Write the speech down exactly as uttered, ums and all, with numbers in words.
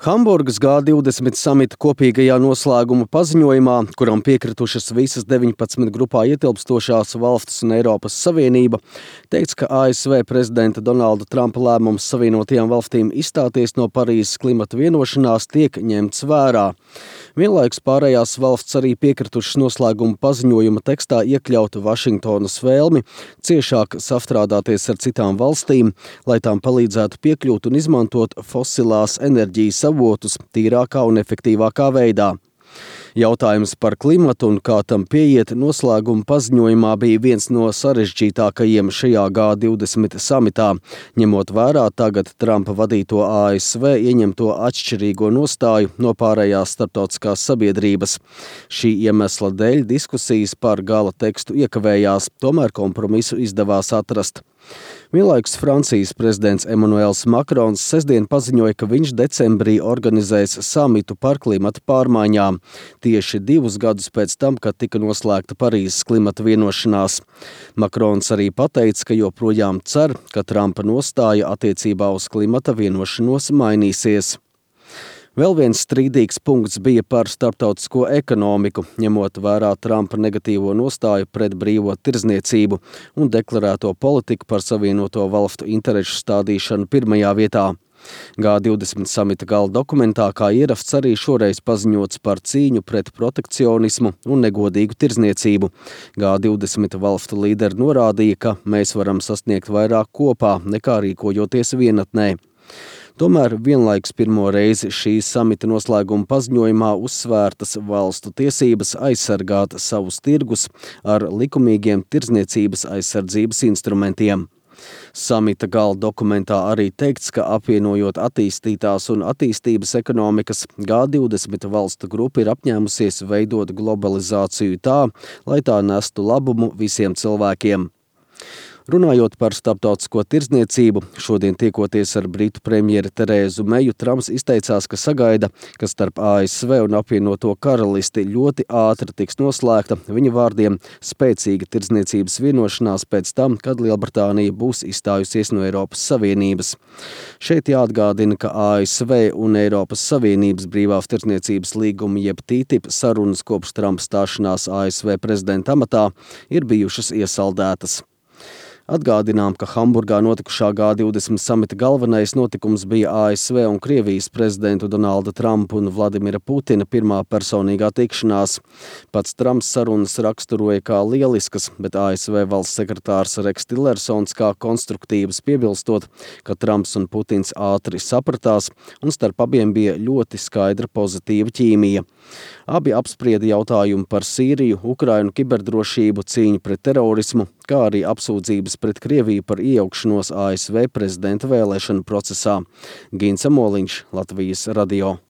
Hamburgas G divdesmit samita kopīgajā noslēguma paziņojumā, kuram piekritušas visas deviņpadsmit grupā ietilpstošās valstis un Eiropas Savienība, teikts, ka A S V prezidenta Donalda Trumpa lēmums Savienotajām valstīm izstāties no Parīzes klimata vienošanās tiek ņemts vērā. Vienlaikus pārējās valsts arī piekritušas noslēguma paziņojuma tekstā iekļaut Vašingtonas vēlmi ciešāk sastrādāties ar citām valstīm, lai tām palīdzētu piekļūt un izmantot fosilās enerģijas avotus tīrākā un efektīvākā veidā. Jautājums par klimatu un kā tam pieiet noslēguma paziņojumā bija viens no sarežģītākajiem šajā G divdesmit samitā, ņemot vērā tagad Trumpa vadīto A S V ieņemto atšķirīgo nostāju no pārējās starptautiskās sabiedrības. Šī iemesla dēļ diskusijas par gala tekstu iekavējās, tomēr kompromisu izdevās atrast. Vienlaikus Francijas prezidents Emmanuels Macrons sestdien paziņoja, ka viņš decembrī organizēs samitu par klimata pārmaiņām, tieši divus gadus pēc tam, kad tika noslēgta Parīzes klimata vienošanās. Macrons arī pateica, ka joprojām cer, ka Trumpa nostāja attiecībā uz klimata vienošanos mainīsies. Vēl viens strīdīgs punkts bija par starptautisko ekonomiku, ņemot vērā Trumpa negatīvo nostāju pret brīvo tirdzniecību un deklarēto politiku par Savienoto valstu interešu stādīšanu pirmajā vietā. G divdesmit samita gala dokumentā kā ierasts arī šoreiz paziņots par cīņu pret protekcionismu un negodīgu tirdzniecību. G divdesmit valstu līderi norādīja, ka mēs varam sasniegt vairāk kopā, nekā rīkojoties vienatnē. Tomēr vienlaikus pirmo reizi šīs samita noslēguma paziņojumā uzsvērtas valstu tiesības aizsargāt savus tirgus ar likumīgiem tirdzniecības aizsardzības instrumentiem. Samita gala dokumentā arī teikts, ka apvienojot attīstītās un attīstības ekonomikas, G divdesmit valstu grupa ir apņēmusies veidot globalizāciju tā, lai tā nestu labumu visiem cilvēkiem. Runājot par starptautisko tirdzniecību, šodien tiekoties ar britu premjeri Terēzu Meju, Trumps izteicās, ka sagaida, ka starp A S V un apvienoto karalisti ļoti ātri tiks noslēgta, viņa vārdiem, spēcīga tirdzniecības vienošanās pēc tam, kad Lielbritānija būs izstājusies no Eiropas Savienības. Šeit jāatgādina, ka A S V un Eiropas Savienības brīvās tirdzniecības līguma jeb T T I P sarunas kopš Trumpa stāšanās A S V prezidenta amatā ir bijušas iesaldētas. Atgādinām, ka Hamburgā notikušā G divdesmit samita galvenais notikums bija A S V un Krievijas prezidentu Donalda Trumpa un Vladimira Putina pirmā personīgā tikšanās. Pats Trumps sarunas raksturoja kā lieliskas, bet A S V valsts sekretārs Reks Tillersons kā konstruktīvas, piebilstot, ka Trumps un Putins ātri sapratās un starp abiem bija ļoti skaidra pozitīva ķīmija. Abi apsprieda jautājumu par Sīriju, Ukrainu, kiberdrošību, cīņu pret terorismu, kā arī apsūdzības pret Krieviju par iejaukšanos A S V prezidenta vēlēšanu procesā. Gins Amoliņš, Latvijas radio.